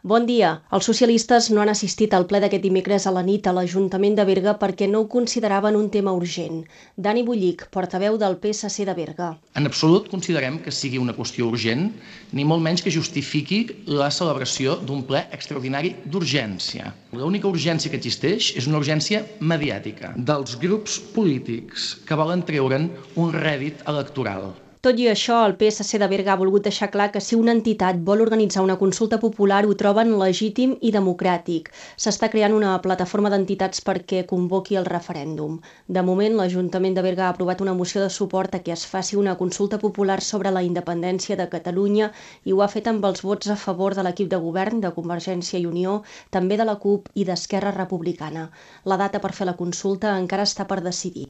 Bon dia. Els socialistes no han assistit al ple d'aquest dimecres a la nit a l'Ajuntament de Berga perquè no ho consideraven un tema urgent. Dani Bullich, portaveu del PSC de Berga. En absolut considerem que sigui una qüestió urgent, ni molt menys que justifiqui la celebració d'un ple extraordinari d'urgència. L'única urgència que existeix és una urgència mediàtica dels grups polítics que volen treure'n un rèdit electoral. Tot i això, el PSC de Berga ha volgut deixar clar que si una entitat vol organitzar una consulta popular ho troben legítim i democràtic. S'està creant una plataforma d'entitats perquè convoqui el referèndum. De moment, l'Ajuntament de Berga ha aprovat una moció de suport a que es faci una consulta popular sobre la independència de Catalunya i ho ha fet amb els vots a favor de l'equip de govern de Convergència i Unió, també de la CUP i d'Esquerra Republicana. La data per fer la consulta encara està per decidir.